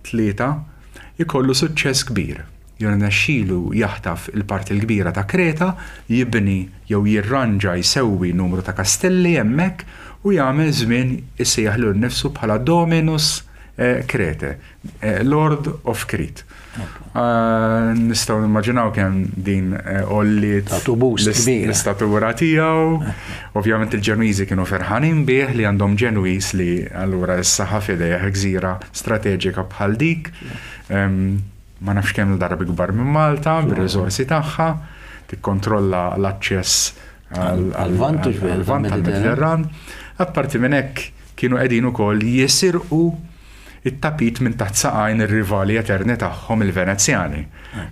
tlieta, ikollu suċċess kbir. Jirnexxilu jaħtaf il-parti l-kbira ta' Kreta, jibni jew jirranġa, jsewwi numru ta' kastelli hemmhekk u jagħmel żmien isejjaħ lilu nnifsu bħala Dominus Krete, Lord of Crete. Nistgħu nimmaġinaw kemm din għolliet l-istatura tiegħu. Ovvjament il-Ġenwiżi kienu ferħanin bih li għandhom Ġenwiż li allura issa ħa f'idejh gżira strateġika bħal dik. Ma nafx kemm darba ikbar minn Malta, bir-riżorsi tagħha, tikkontrolla l-aċċess għal-Lvant tal-Mediterran. Apparti minn hekk kienu qegħdin ukoll jisirqu it-tapit minn taħt saqajn ir-rivali eterni tagħhom il-Venezjani,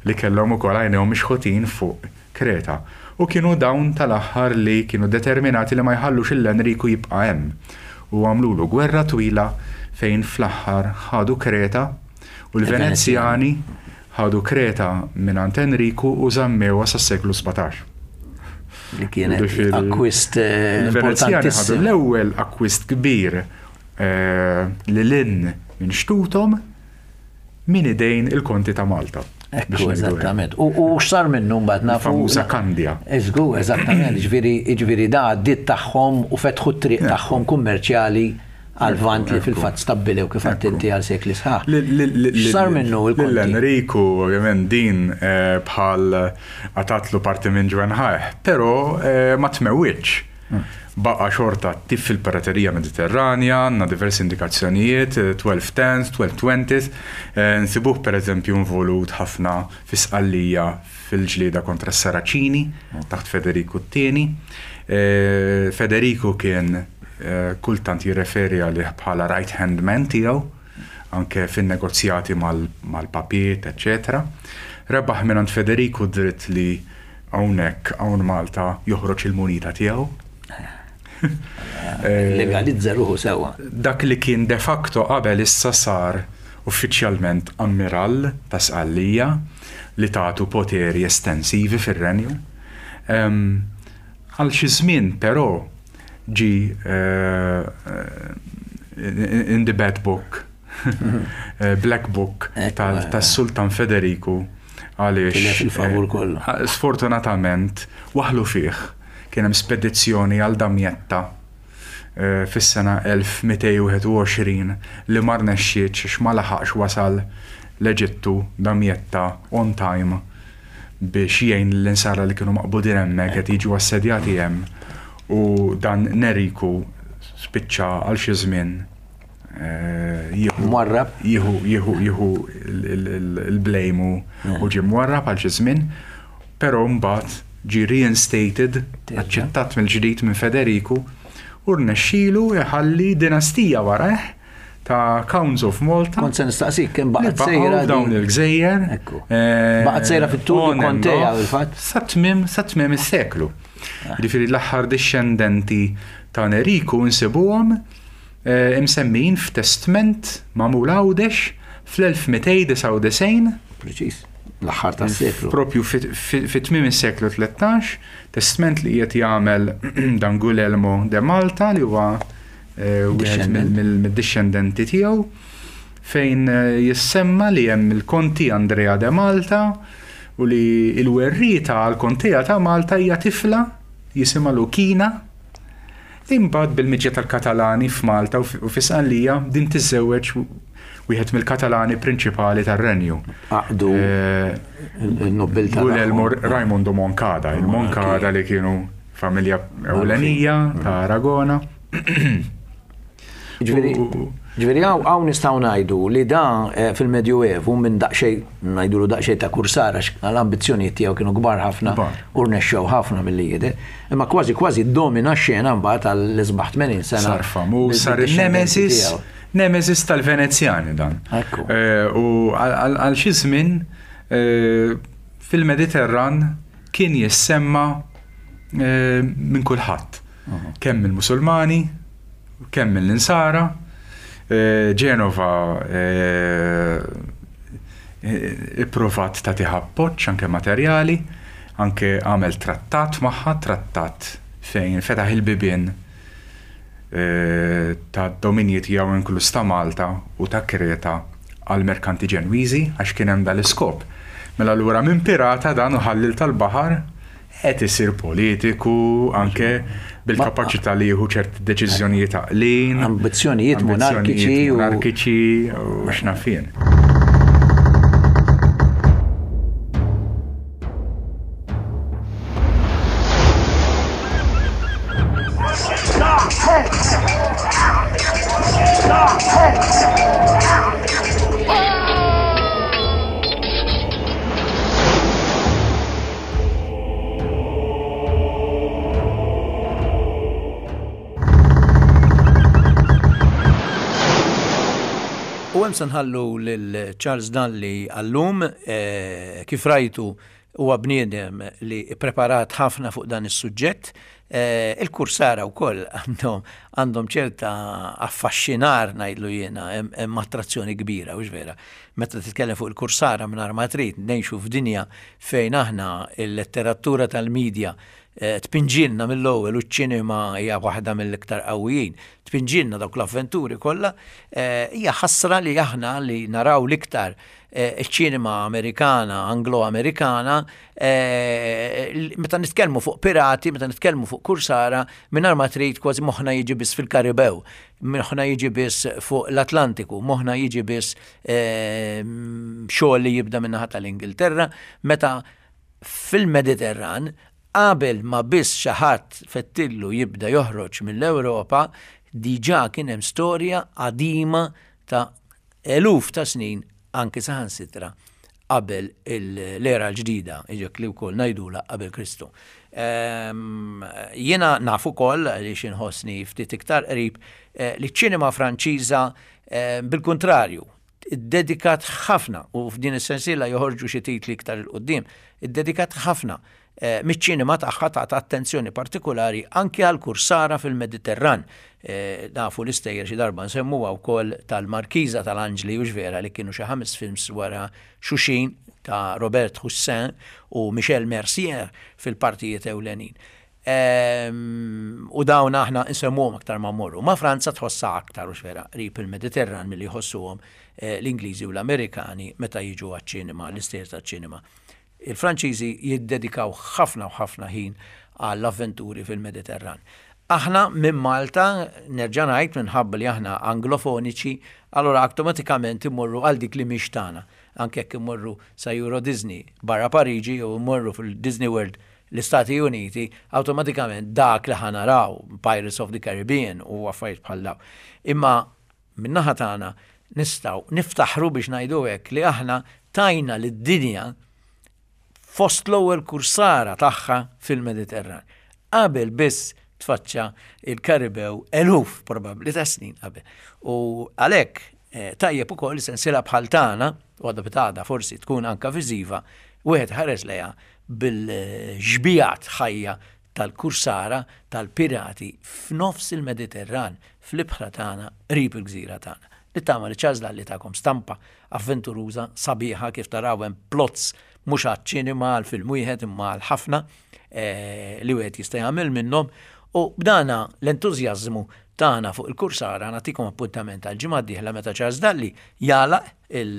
li kellhom ukoll għajnejhom mixħutin fuq Kreta. U kienu dawn tal-aħħar li kienu determinati li ma jħallux lil Enriku jibqa' hemm, u għamlulu gwerra twila fejn fl-aħħar ħadu Kreta u l-Venezjani ħadu Kreta mingħand Enriku u żammewha sas-seklu 17. Li kienet akkwist eh, Il-Venezjani ħadu l-ewwel akkwist kbir eh, lil hinn minn xtuthom minn idejn il-Konti ta' Malta. Ekku, eżattament. U x'sar minnu mbagħad nafu. Famuża Kandja. Eżgu, eżattament, ġifieri ġifieri da għaddiet tagħhom u fetħu t-triq tagħhom kummerċjali għal-Lvant li fil-fatt stabbilew kif għedt inti għal sekli sħaħ. X'sar minnu il-Konti? Lil Enriku, ovvjament din eh, bħal għatatlu parti minn ġwenħajh, però eh, ma tmewwitx. Baqa' xorta attiv fil-piraterija Mediterranja, għandna diversi indikazzjonijiet, 1210s, 1220s, nsibuh pereżempju involut ħafna fi Sqallija fil-ġlieda kontra s-Saraċini taħt Federiku t-Tieni. Federiku kien kultant jirreferi għalih bħala right hand man tiegħu, anke fin-negozjati mal-papiet, eċċetera. Rebaħ mingħand Federiku d-dritt li Hawnhekk, hawn Malta, joħroġ il-munita tiegħu. Legalizza ruħu sewwa. Dak li kien de facto qabel issa sar uffiċjalment ammirall ta' Sqallija li tatu poteri estensivi fir-renju. Għal xi żmien però ġie in the bad book Black Book tas-Sultan Federiku għaliex. Tilef il-favur kollu. Sfortunatament waħħlu fih. Kien hemm spedizzjoni għal Damietta fis-sena 1221 li ma rnexxietx għax ma laħaqx wasal l-Eġittu Damietta on time biex jgħin lill-Insara li kienu maqbudin hemmhekk qed jiġu assedjati hemm u dan Neriku spiċċa għal xi żmien jieħu Mwarrab. Jieħu jieħu jieħu il-blame u ġie mwarrab għal xi żmien, però mbagħad ġie reinstated, aċċettat mill-ġdid minn Federiku u rnexxielu jħalli dinastija warajh ta' Counts of Malta. Kont se nistaqsik kemm baqgħet sejra dawn il-gżejjer. Ekku. Baqgħet sejra fit-tul konteja fil-fatt. Sa tmiem sa tmiem is-seklu. Jiġifieri l-aħħar dixxendenti ta' Neriku nsibuhom imsemmijin f'testment magħmul Għawdex fl-1299. Preċiż, l-aħħar tas-seklu. Propju fi tmiem is-seklu 13, testment li qiegħed jagħmel dan Guglielmo de Malta li huwa wieħed mid-dixxendenti tiegħu fejn jissemma li hemm il-Konti Andrea de Malta u li l-werrieta għall-Kontea ta' Malta hija tifla jisimha Lukina. Imbagħad bil-miġja tal-Katalani f'Malta u fi Sqallija din tiżżewweġ wieħed mill-Katalani prinċipali tar-renju. Għaqdu n-nobbiltà. Guglielmo Raimondo Moncada, il-Moncada li kienu familja ewlenija ta' Aragona. Ġifieri hawn nistgħu ngħidu li da eh, fil-Medjuevu minn daqsxejn ngħidulu daqsxejn ta' kursar għax l-ambizzjonijiet tiegħu kienu kbar ħafna u rnexxew ħafna milli jidher. Imma kważi kważi domina x-xena mbagħad għall-isbaħ 80 sena. Sar famuż, sar il-nemesis, nemesis tal-Venezjani dan. Eh, u għal xi żmien eh, fil-Mediterran kien jissemma minn kulħadd. Kemm mill-Musulmani, kemm mill-Insara. Ġenova ipprovat tagħtih appoġġ anke materjali, anke għamel trattat magħha, trattat fejn fetaħ il-bibien tad-dominji tiegħu inkluż ta' Malta u ta' Kreta għall-merkanti Ġenwiżi għax kien hemm dal-iskop. Mela allura minn pirata dan u ħalliel tal-baħar. Qed isir politiku anke bil-kapaċità li jieħu ċerti deċiżjonijiet għaqlin. Ambizzjonijiet monarkiċi. Monarkiċi u x'naf jien. U hemm se nħallu lil Charles Dalli għallum, eh, kif rajtu huwa bniedem li preparat ħafna fuq dan is-suġġett. Eh, il-kursara wkoll għandhom għandhom ċerta affaxxinar ngħidlu jiena hemm attrazzjoni kbira, hux vera. Meta titkellem fuq il-kursara mingħajr ma trid ngħixu f'dinja fejn aħna il-letteratura tal-medja eh, tpinġilna mill-ewwel u ċ-ċinema hija waħda mill-iktar qawwijin, tpinġilna dawk l-avventuri kollha, eh, hija ħasra li aħna li naraw l-iktar eh, iċ-ċinema Amerikana, Anglo-Amerikana, meta nitkellmu fuq pirati, meta nitkellmu fuq kursara, mingħajr ma trid kważi moħħna jiġi biss fil-Karibew, moħħna jiġi biss fuq l-Atlantiku, moħħna jiġi biss xogħol li jibda min-naħa tal-Ingilterra, meta fil-Mediterran qabel ma biss xi ħadd fettillu jibda joħroġ mill-Ewropa, diġà kien hemm storja qadima ta' eluf ta' snin anki saħansitra qabel l-era l-ġdida, iġek li wkoll ngħidulha qabel Kristu. Ehm, jiena naf ukoll għaliex inħossni ftit iktar qrib eh, li ċ-ċinema Franċiża eh, bil-kuntrarju iddedikat ħafna u f'din is-sensiela joħorġu xi titli iktar 'il quddiem, iddedikat ħafna eh, miċ-ċinema tagħha tagħta attenzjoni partikulari anki għal kursara fil-Mediterran. Eh, nafu l-istejjer xi darba nsemmuha wkoll tal-Markiża tal-Anġli u vera li kienu xi ħames films wara xuxin ta' Robert Hussein u Michel Mercier fil-partijiet ewlenin. Ehm, u dawn aħna nsemmuhom aktar ma mmorru. Ma' Franza tħossha aktar u vera qrib il-Mediterran milli jħossuhom eh, l-Ingliżi u l-Amerikani meta jiġu għaċ-ċinema, l-istejjer taċ-ċinema. Il-Franċiżi jiddedikaw ħafna u ħafna ħin għall-avventuri fil-Mediterran. Aħna minn Malta, nerġa' ngħid minħabba li aħna Anglofoniċi, allura awtomatikament immorru għal dik li mhix tagħna. Anke jekk immorru sa Euro Disney barra Pariġi jew immorru fil-Disney World l-Istati Uniti, awtomatikament dak li ħa naraw, Pirates of the Caribbean u affarijiet bħal dawn. Imma min-naħa tagħna nistgħu niftaħru biex ngħidu hekk li aħna tajna lid-dinja fost l-ewwel kursara tagħha fil-Mediterran. Qabel biss tfaċċa il-Karibew eluf probabbli ta' snin qabel. U għalhekk eh, tajjeb ukoll sensiela bħal tagħna, u għadha bitgħada forsi tkun anka viżiva, wieħed ħares lejha bil-xbijat ħajja tal-kursara tal-pirati f'nofs il-Mediterran, fl-ibħra tagħna qrib il-gżira tagħna. Nittama li Charles Lalli takom stampa avventuruża, sabiħa kif taraw hemm plots mhux għaċ-ċinema għal film wieħed imma għal ħafna eh, li wieħed jista' jagħmel minnhom u b'dana l-entużjażmu tagħna fuq il-kursara nagħtikom appuntament għal ġimgħa d-dieħla meta Charles Dalli jagħlaq il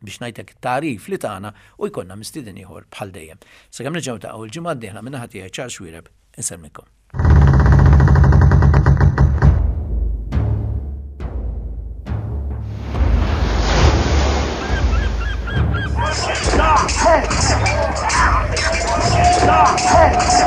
biex ngħidlek it-tagħrif li tagħna u jkollna mistieden ieħor bħal dejjem. Sakemm nerġgħu niltaqgħu l-ġimgħa d-dieħla min-naħa tiegħi Charles Xuereb insellmilkom. Stop! Hey! Stop! Hey!